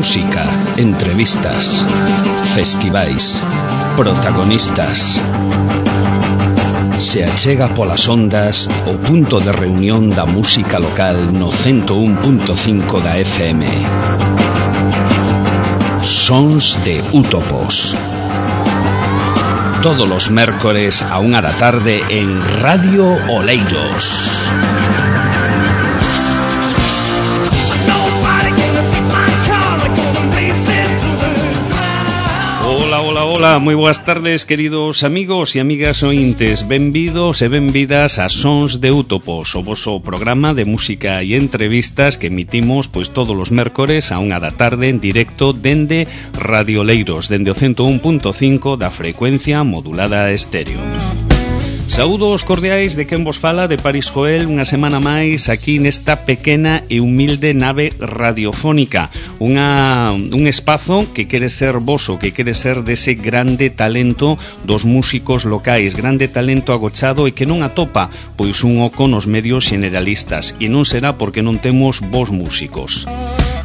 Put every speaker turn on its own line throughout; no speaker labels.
Música, entrevistas, festivais, protagonistas. Se achega polas ondas o punto de reunión da música local no 101.5 da FM. Sons de Útopos. Todos los mércores a 1 da tarde en Radio Oleiros. Hola, moi boas tardes, queridos amigos e amigas ointes. Benvidos e benvidas a Sons de Útopos, o voso programa de música e entrevistas que emitimos pois todos os mércores a 1 da tarde en directo dende Radio Oleiros, dende o 101.5 da frecuencia modulada estéreo. Saúdos cordiais de quen vos fala, de Paris Joel, unha semana máis aquí nesta pequena e humilde nave radiofónica, un espazo que quere ser voso, que quere ser dese grande talento dos músicos locais, grande talento agochado e que non atopa pois un oco nos medios generalistas, e non será porque non temos vos músicos.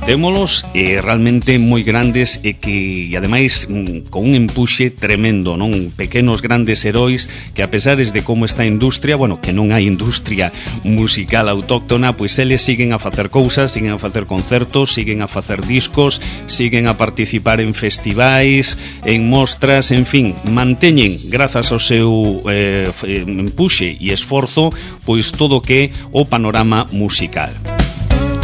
Témolos realmente moi grandes e que, ademais, con un empuxe tremendo, non? Pequenos grandes heróis que, a pesares de como está a industria, bueno, que non hai industria musical autóctona, pois eles siguen a facer cousas, siguen a facer concertos, siguen a facer discos, siguen a participar en festivais, en mostras, en fin, manteñen, grazas ao seu empuxe e esforzo, pois todo o que é o panorama musical.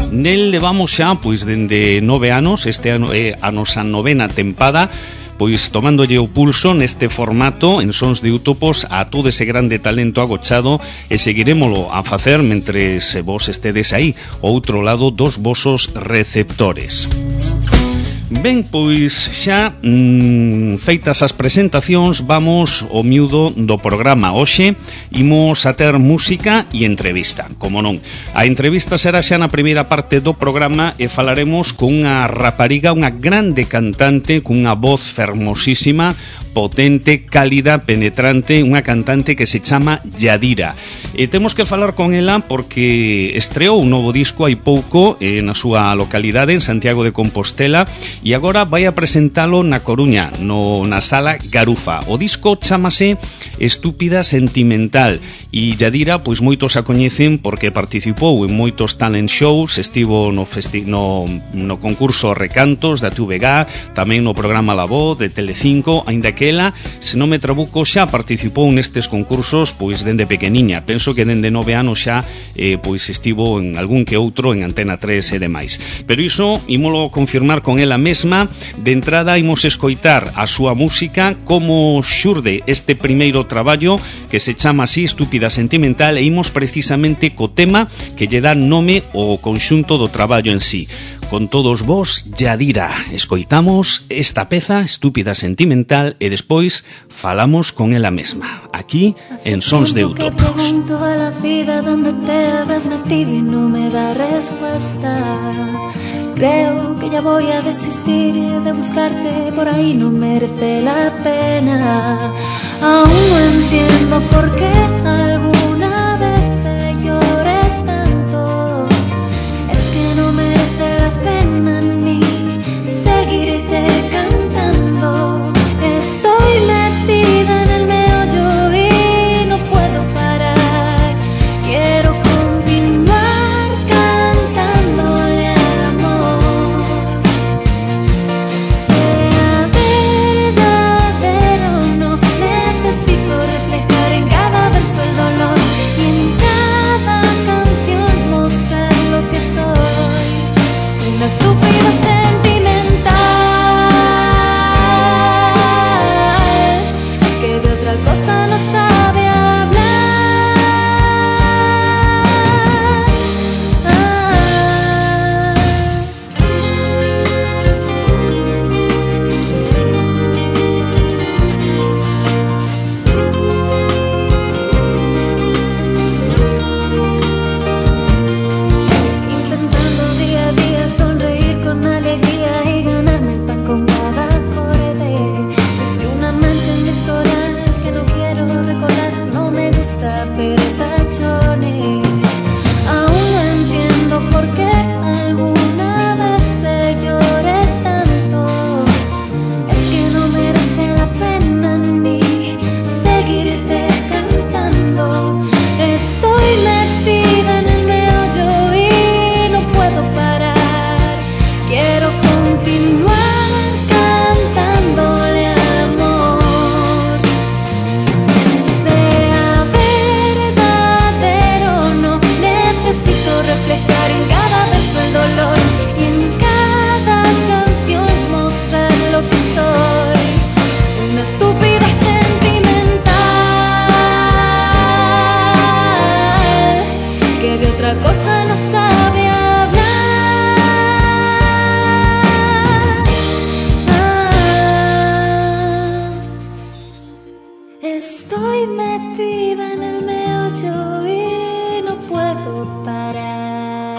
Nel levamos xa, pois, dende 9 anos, este ano é a nosa 9ª tempada, pois tomándolle o pulso neste formato en Sons de Útopos a todo ese grande talento agochado e seguirémolo a facer mentres vos estedes aí, ao outro lado dos vosos receptores. Ben, pois xa feitas as presentacións, vamos ao miúdo do programa. Hoxe imos a ter música e entrevista, como non. A entrevista será xa na primeira parte do programa e falaremos con unha rapariga, unha grande cantante, cunha voz fermosísima, potente, cálida, penetrante, unha cantante que se chama Yadira. E temos que falar con ela porque estreou un novo disco hai pouco na súa localidade, en Santiago de Compostela, e agora vai a presentalo na Coruña, na Sala Garufa. O disco chamase Estúpida Sentimental e Yadira, pois moitos a coñecen porque participou en moitos talent shows, estivo no concurso Recantos da TVG, tamén no programa La Voz de Telecinco, aínda que ela, se non me trabuco, xa participou nestes concursos pois dende pequeniña. Penso que dende 9 anos xa pois estivo en algún que outro en Antena 3 e demais. Pero iso ímolo confirmar con ela mesma. De entrada imos escoitar a súa música, como xurde este primeiro traballo que se chama así, Estúpida Sentimental, e imos precisamente co tema que lle dá nome ao conxunto do traballo en sí. Con todos vos, Yadira. Escoitamos esta peza, Estúpida Sentimental, e despois falamos con ela mesma, aquí en Sons de Útopos.
Pregunto a la vida dónde te habrás metido y no me da respuesta. Creo que ya voy a desistir de buscarte, por ahí no merece la pena. Aún no entiendo por qué alguna vez te lloré tanto. Es que no merece la pena ni seguirte cantando. Estoy metida en el meollo y no puedo parar. Quiero continuar cantándole al amor. Sea verdadero, no necesito reflejar en cada verso el dolor y en cada canción mostrar lo que soy. Una estúpida sentimental que de otra cosa no sabe hablar. Intentando día a día sonreír con alegría y ganarme el pan con cada acorde. Desde una mancha en mi historial que no quiero recordar, no me gusta ver tachones. Aún no entiendo por qué alguna vez te lloré tanto. silencio y no puedo parar.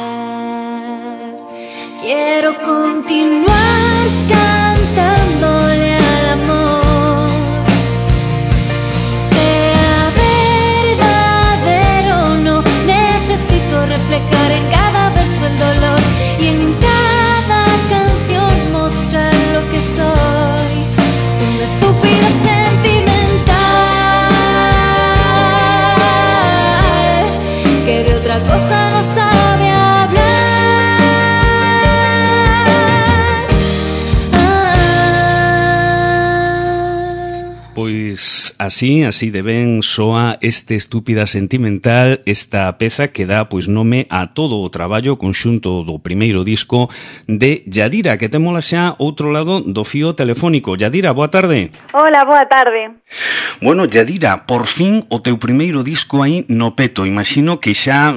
Quiero continuar cantándole al amor, sea verdadero o no. Necesito reflejar en cada verso el dolor y en cada canción mostrar lo que soy, una estúpida sentimental que de otra cosa no sabe hablar.
Pois así de ben soa este Estúpida Sentimental, esta peza que dá pois nome a todo o traballo conxunto do primeiro disco de Yadira, que témola xa outro lado do fío telefónico. Yadira, boa tarde.
Hola, boa tarde.
Bueno, Yadira, por fin o teu primeiro disco aí no peto. Imagino que xa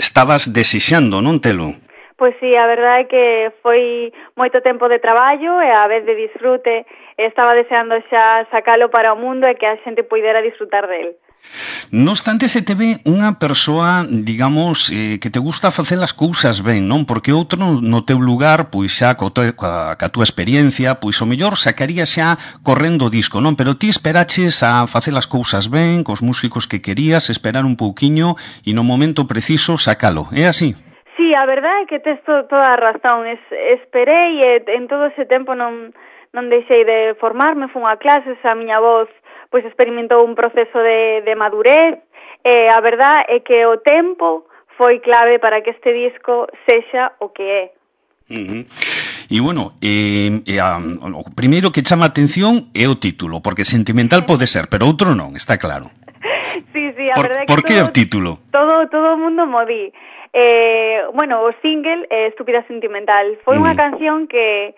estabas desexando, non telo?
Pois sí, a verdade é que foi moito tempo de traballo e a vez de disfrute. Estaba deseando xa sacalo para o mundo e que a xente poidera disfrutar del.
No obstante, se te ve unha persoa, digamos, que te gusta facer as cousas ben, non? Porque outro no teu lugar, pois xa ca túa experiencia, pois o mellor sacaría xa correndo o disco, non? Pero ti esperaches a facer as cousas ben, cos músicos que querías, esperar un pouquiño e no momento preciso sacalo. É así?
Sí, a verdade é que tes toda a razón. Esperei e en todo ese tempo non deixei de formarme, fun a clases, a miña voz pois experimentou un proceso de madurez, e a verdade é que o tempo foi clave para que este disco sexa o que é.
E bueno, o primeiro que chama a atención é o título, porque sentimental pode ser, pero outro non, está claro.
Sí, a verdade é que
por que o título?
Todo o mundo mo di. Bueno, o single Estúpida Sentimental foi unha canción que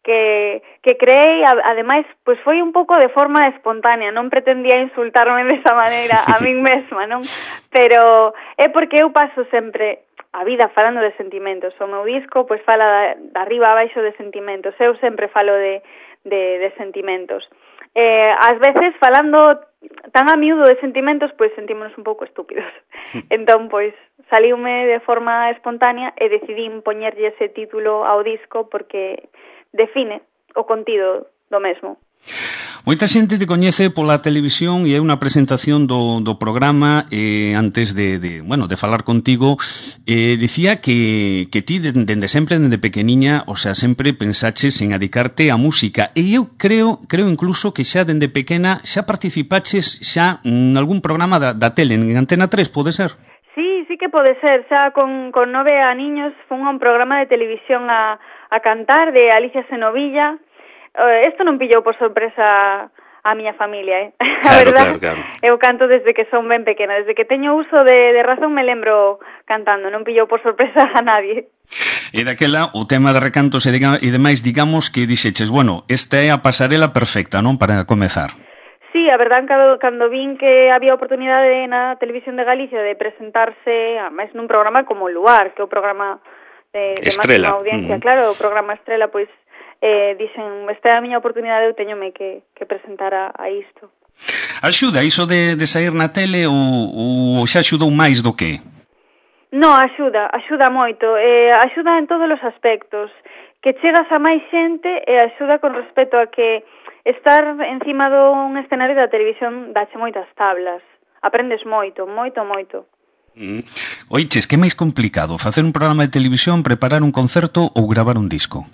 creei, ademais, pois foi un pouco de forma espontánea, non pretendía insultarme desa maneira a min mesma, non? Pero é porque eu paso sempre a vida falando de sentimentos. O meu disco pois fala de arriba a baixo de sentimentos. Eu sempre falo de sentimentos. Ás veces falando tan a miúdo de sentimentos, pois sentímonos un pouco estúpidos. Entón, pois, saliume de forma espontánea e decidín poñerlle ese título ao disco porque define o contido do mesmo.
Moita xente te coñece pola televisión e é unha presentación do programa antes de falar contigo dicía que ti dende sempre, dende pequeniña, o sea, sempre pensaches en adicarte á música e eu creo incluso que xa dende pequena xa participaches xa en algún programa da tele, en Antena 3, pode ser?
Sí que pode ser, xa con 9 aniños fun a un programa de televisión a cantar de Alicia Senovilla. Isto non pillou por sorpresa a miña familia, A verdade, claro. Eu canto desde que son ben pequena, desde que teño uso de razón me lembro cantando, non pillou por sorpresa a nadie.
E daquela, o tema de recantos e demais, digamos que dixeches, bueno, esta é a pasarela perfecta, non, para comezar.
Sí, a verdade, cando vin que había oportunidade na Televisión de Galicia de presentarse, máis nun programa como Luar, que é o programa de máxima audiencia, claro, o programa Estrela, pois dixen, esta é a miña oportunidade, eu teñome que presentar a isto.
Axuda iso de sair na tele ou xa axudou máis do que?
No, axuda moito, axuda en todos os aspectos, que chegas a máis xente e axuda con respecto a que estar encima dun escenario da televisión dache moitas tablas, aprendes moito.
Oiches, que é máis complicado, facer un programa de televisión, preparar un concerto ou gravar un disco?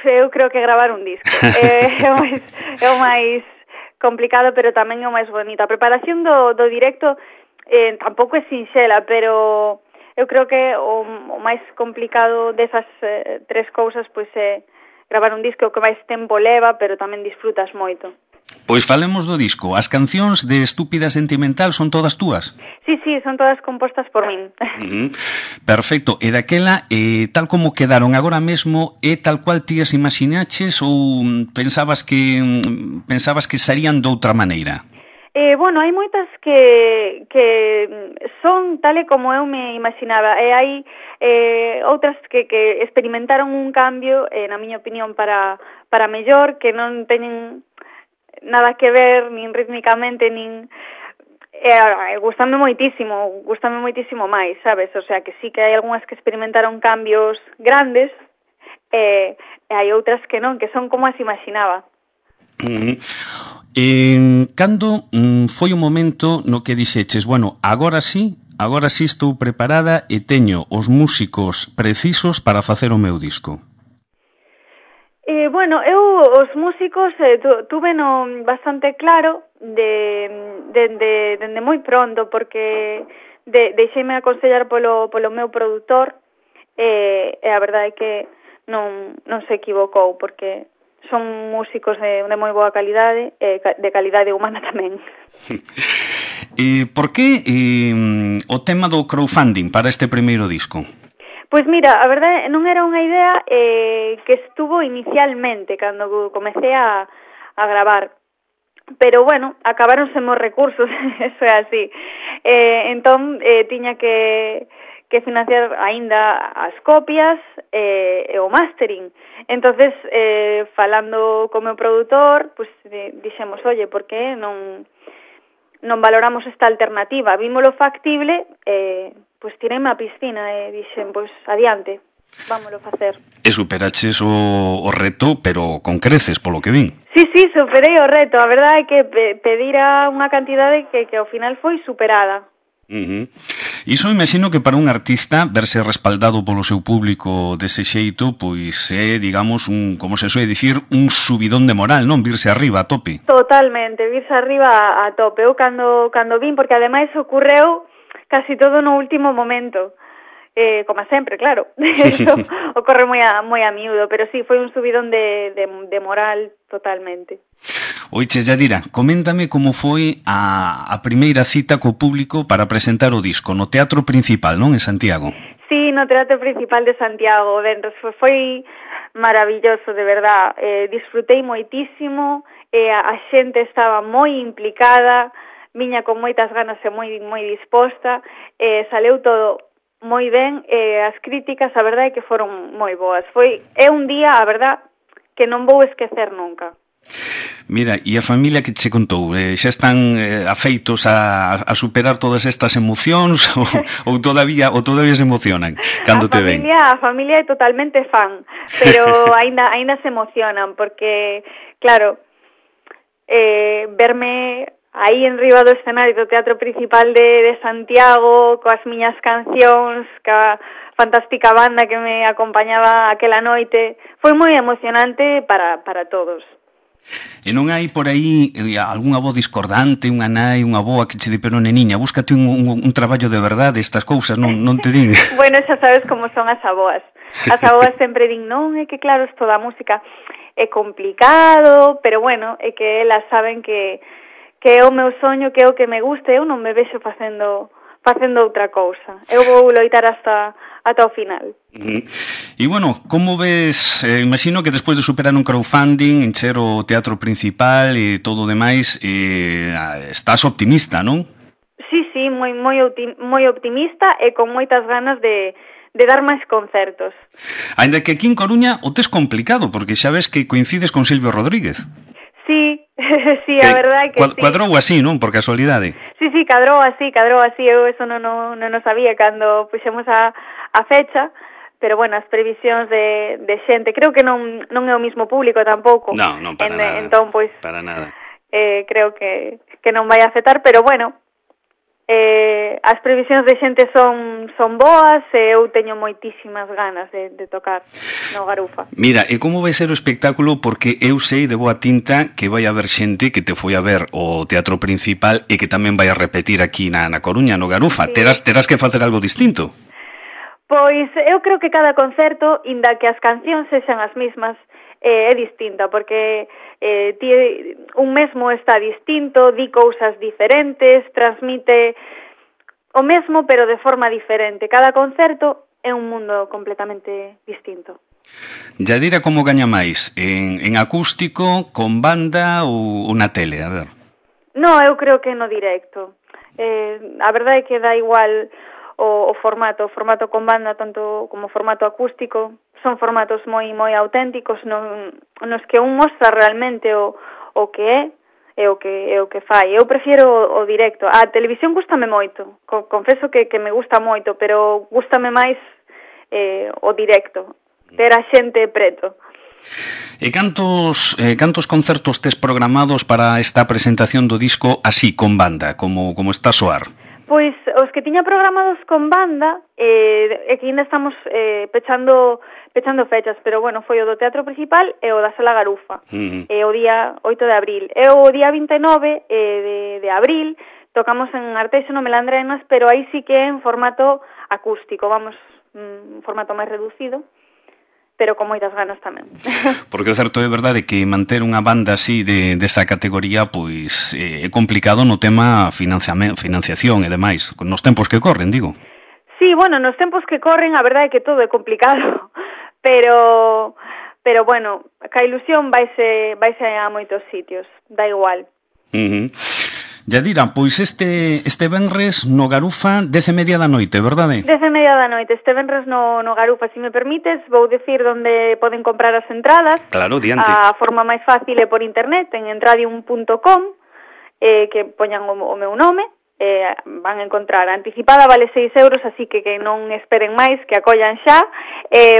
Eu creo que gravar un disco é o máis complicado, pero tamén é o máis bonito. A preparación do directo tampouco é sinxela, pero eu creo que o máis complicado desas tres cousas pois é gravar un disco, que máis tempo leva, pero tamén disfrutas moito.
Pois falemos do disco. As cancións de Estúpida Sentimental son todas túas?
Sí, son todas compostas por min.
Perfecto. E daquela, tal como quedaron agora mesmo, é tal cual ti as imaginaches ou pensabas que sarían doutra maneira?
Bueno, hai moitas que son tal e como eu me imaginaba, e hai outras que experimentaron un cambio, na miña opinión, para mellor, que non teñen nada que ver, nin rítmicamente, nin... Gústame moitísimo máis, sabes? O sea, que sí que hai algunhas que experimentaron cambios grandes, e hai outras que non, que son como as imaginaba.
Cando foi o momento no que dixeches, bueno, agora sí estou preparada e teño os músicos precisos para facer o meu disco?
Bueno, eu os músicos tuve bastante claro dende moi pronto, porque deixeime aconsellar polo meu produtor, e a verdade é que non se equivocou, porque son músicos de moi boa calidade, e de calidade humana tamén.
Por que o tema do crowdfunding para este primeiro disco?
Pois mira, a verdade non era unha idea que estuvo inicialmente cando comecei a gravar, pero bueno, acabáronse os recursos, eso é así. Entón, tiña que financiar aínda as copias e o mastering. Entonces, falando co meu produtor, pues dixemos, oye, por que non valoramos esta alternativa? Vímolo factible, pois tirei-me a piscina e dixen, pois adiante, vámolo facer.
E superaches o reto, pero con creces, polo que vin.
Sí, superei o reto. A verdade é que pedira unha cantidade que ao final foi superada.
Iso imagino que para un artista verse respaldado polo seu público dese xeito, pois é, digamos, como se soe dicir, un subidón de moral, non? Virse arriba a tope.
Totalmente, virse arriba a tope. Eu cando vin, porque ademais ocorreu casi todo no último momento, como sempre, claro. Eso ocorre moi a miúdo, pero sí, foi un subidón de moral totalmente.
Oiche, Yadira, coméntame como foi a primeira cita co público para presentar o disco no Teatro Principal, non? En Santiago.
Sí, no Teatro Principal de Santiago, foi maravilloso, de verdad. Disfrutei moitísimo, a xente estaba moi implicada, viña con moitas ganas e moi disposta, saleu todo moi ben, as críticas, a verdade é que foron moi boas. É un día, a verdade, que non vou esquecer nunca.
Mira, e a familia que che contou, xa están afeitos a superar todas estas emocións ou todavía se emocionan cando te ven?
A familia é totalmente fan, pero aínda se emocionan, porque, claro, verme aí en riba do escenario do Teatro Principal de Santiago, coas miñas cancións, ca fantástica banda que me acompañaba aquela noite, foi moi emocionante para todos.
E non hai por aí algunha voz discordante, unha nai, unha boa que che di, pero neniña, búscate un traballo de verdade, estas cousas, non te din?
Bueno, xa sabes como son as aboas. As aboas sempre din, non, é que claro, isto da música é complicado, pero bueno, é que elas saben que é o meu soño, que é o que me gusta, eu non me vexo facendo outra cousa. Eu vou loitar ata o final.
E bueno, como ves, imagino que despois de superar un crowdfunding, encher o Teatro Principal e todo o demais, estás optimista, non?
Sí, moi optimista e con moitas ganas de dar máis concertos.
Ainda que aquí en Coruña o tes complicado, porque xa ves que coincides con Silvio Rodríguez.
Sí, a verdade que sí.
Cuadrou así, non? Por casualidade.
Sí, cadrou así. Eu eso non o sabía cando puxemos a fecha, pero bueno, as previsións de xente, creo que non é o mismo público tampouco.
Non, para nada.
Entón, pois,
para nada.
Creo que non vai afectar, pero bueno, as previsións de xente son boas e eu teño moitísimas ganas de tocar no Garufa.
Mira, e como vai ser o espectáculo? Porque eu sei de boa tinta que vai haber xente que te foi a ver o Teatro Principal e que tamén vai a repetir aquí na Coruña, no Garufa. Sí. Terás que facer algo distinto?
Pois eu creo que cada concerto, inda que as cancións sexan as mismas, é distinta, porque un mesmo está distinto, di cousas diferentes, transmite o mesmo pero de forma diferente. Cada concerto é un mundo completamente distinto.
Yadira, como gaña máis? En acústico, con banda ou na tele? A ver.
No, eu creo que no directo. A verdade é que dá igual o formato con banda tanto como formato acústico. Son formatos moi auténticos nos que un mostra realmente o que é é o que fai. Eu prefiro o directo. A televisión gústame moito, confeso que me gusta moito, pero gústame máis o directo, ter a xente preto.
E cantos concertos tes programados para esta presentación do disco así, con banda, como está a soar?
Pois os que tiña programados con banda, que ainda estamos pechando fechas, pero bueno, foi o do Teatro Principal e o da Sala Garufa, o día 8 de abril. E o día 29 de abril tocamos en Arteixo no Melandrenas, pero aí sí que en formato acústico, vamos, un formato máis reducido, pero con moitas ganas tamén.
Porque o certo é verdade que manter unha banda así desa categoría pois é complicado no tema financiación e demais, nos tempos que corren, digo.
Sí, bueno, nos tempos que corren a verdade é que todo é complicado, pero bueno, ca ilusión vaise a moitos sitios, dá igual.
Yadira, pois este venres no Garufa 10:30 da noite, verdade?
10:30 da noite, este venres no Garufa. Se me permites, vou dicir onde poden comprar as entradas.
Claro, diante.
A forma máis fácil é por internet, en entradium.com, que poñan o meu nome, van a encontrar. A anticipada vale 6 euros, así que non esperen máis, que acollan xa.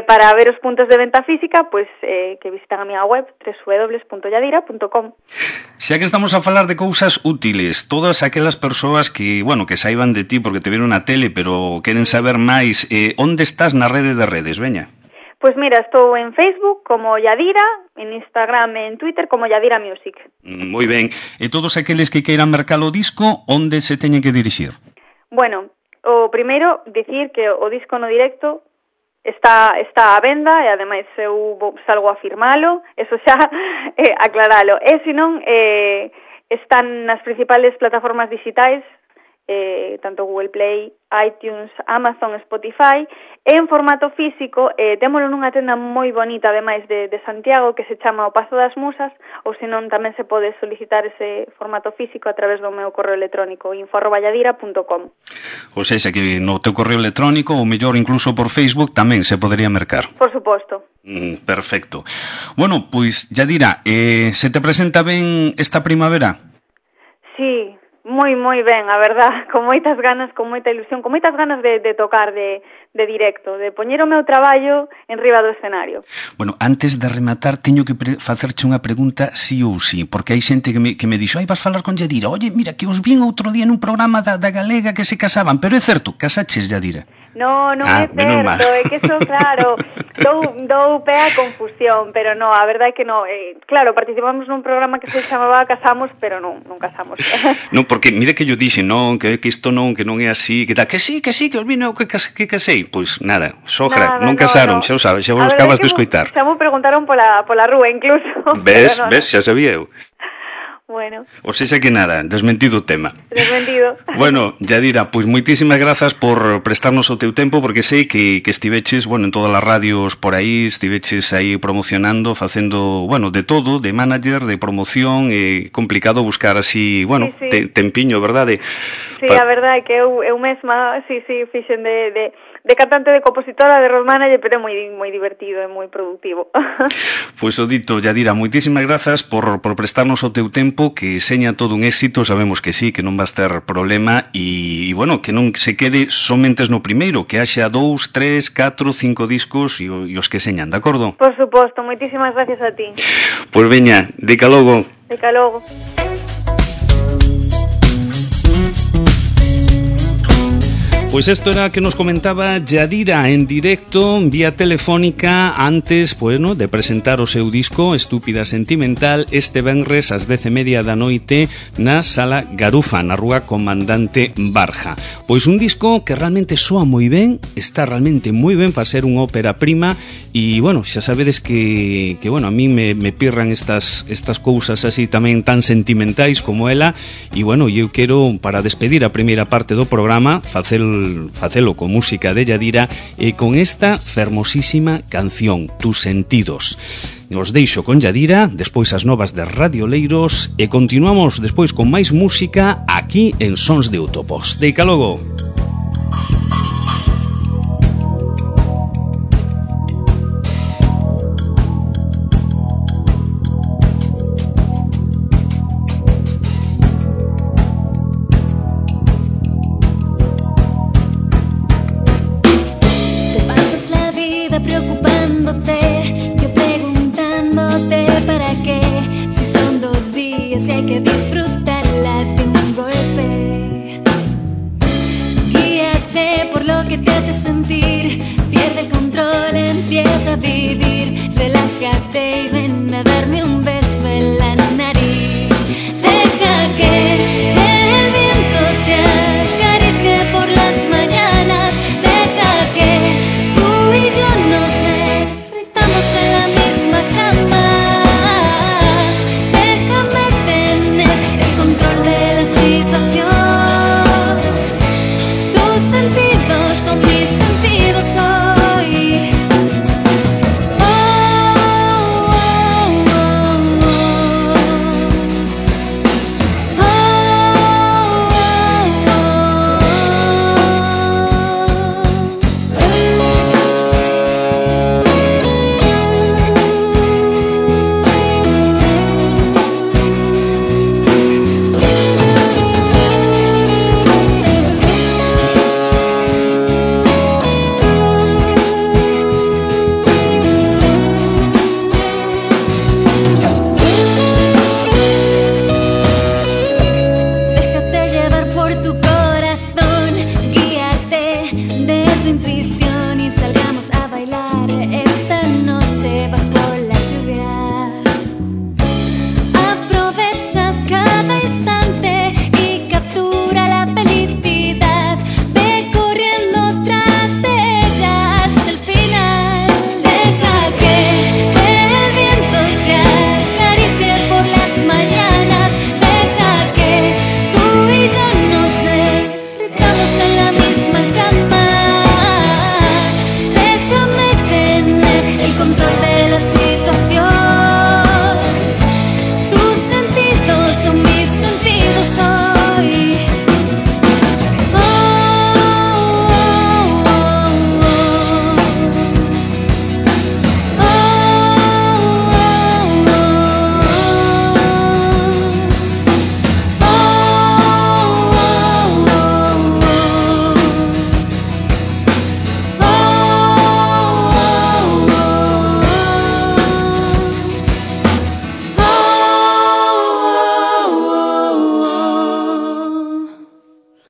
Para ver os puntos de venta física, pois que visitan a miña web www.yadira.com.
Xa que estamos a falar de cousas útiles, todas aquelas persoas que, bueno, que saiban de ti porque te viron na tele, pero queren saber máis, onde estás na rede de redes, veña?
Pois mira, estou en Facebook como Yadira, en Instagram e en Twitter como Yadira Music.
Moi ben. E todos aqueles que queiran mercar o disco, onde se teñen que dirixir? Bueno,
o primeiro, dicir que o disco no directo está á venda e ademais eu salgo a firmalo, eso xa aclaralo. E senón están nas principales plataformas digitais, tanto Google Play, iTunes, Amazon, Spotify, e en formato físico témolo nunha tenda moi bonita, ademais de Santiago, que se chama O Pazo das Musas, ou senón tamén se pode solicitar ese formato físico a través do meu correo electrónico, info@yadira.com.
Ou seja, que no teu correo electrónico, ou mellor incluso por Facebook, tamén se podería mercar.
Por suposto.
Perfecto. Bueno, pois, Yadira, se te presenta ben esta primavera?
Sí, moi ben, a verdad, con moitas ganas, con moita ilusión, con moitas ganas de tocar de directo, de poñer o meu traballo en riba do escenario.
Bueno, antes de rematar, teño que facerche unha pregunta sí ou sí, porque hai xente que me dixo, vas falar con Yadira, oye, mira, que os vin outro día nun programa da Galega que se casaban, pero é certo, casaches, Yadira?
Non é certo, é que eso, claro, dou pé a confusión, pero non, a verdade é que non. Claro, participamos nun programa que se chamaba Casamos, pero non casamos.
Non, porque mire que yo dixe, non, que isto non, que non é así, que tal, que sí, que o vino que casei. Pois nada, sogra, non casaron, xa o sabes, xa vos acabas de escoitar.
Xa me preguntaron pola rúa incluso.
Ves, xa sabía eu.
Bueno.
O sexa que nada, desmentido o tema.
Desmentido.
Bueno, Yadira, pois moitísimas grazas por prestarnos o teu tempo, porque sei que estiveches, bueno, en todas as radios por aí, estiveches aí promocionando, facendo, bueno, de todo, de manager, de promoción, é complicado buscar así, bueno, sí. Tempiño, verdade?
Sí, a verdade é que eu mesma, sí, fixen de cantante, de compositora, de road manager, pero é moi divertido e moi productivo.
Pois o dito, Yadira, moitísimas grazas por prestarnos o teu tempo, que seña todo un éxito, sabemos que sí, que non vas ter problema, e bueno, que non se quede somentes no primeiro, que haxa 2, 3, 4, 5 discos e os que señan, de acordo?
Por suposto, moitísimas gracias a ti.
Pois veña, deca logo.
Deca logo.
Pues esto era que nos comentaba Yadira en directo, vía telefónica, antes, pues, ¿no?, de presentar o seu disco Estúpida Sentimental este venres ás 10:30 da noite na Sala Garufa, na Rúa Comandante Barja. Pois un disco que realmente soa moi ben, está realmente moi ben para ser unha ópera prima, e, bueno, xa sabedes que bueno, a mí me pirran estas cousas así tamén tan sentimentais como ela, e, bueno, eu quero, para despedir a primeira parte do programa, facelo con música de Yadira e con esta fermosísima canción, Tus Sentidos. Os deixo con Yadira, despois as novas de Radio Leiros, e continuamos despois con máis música aquí en Sons de Utopos. Deica logo.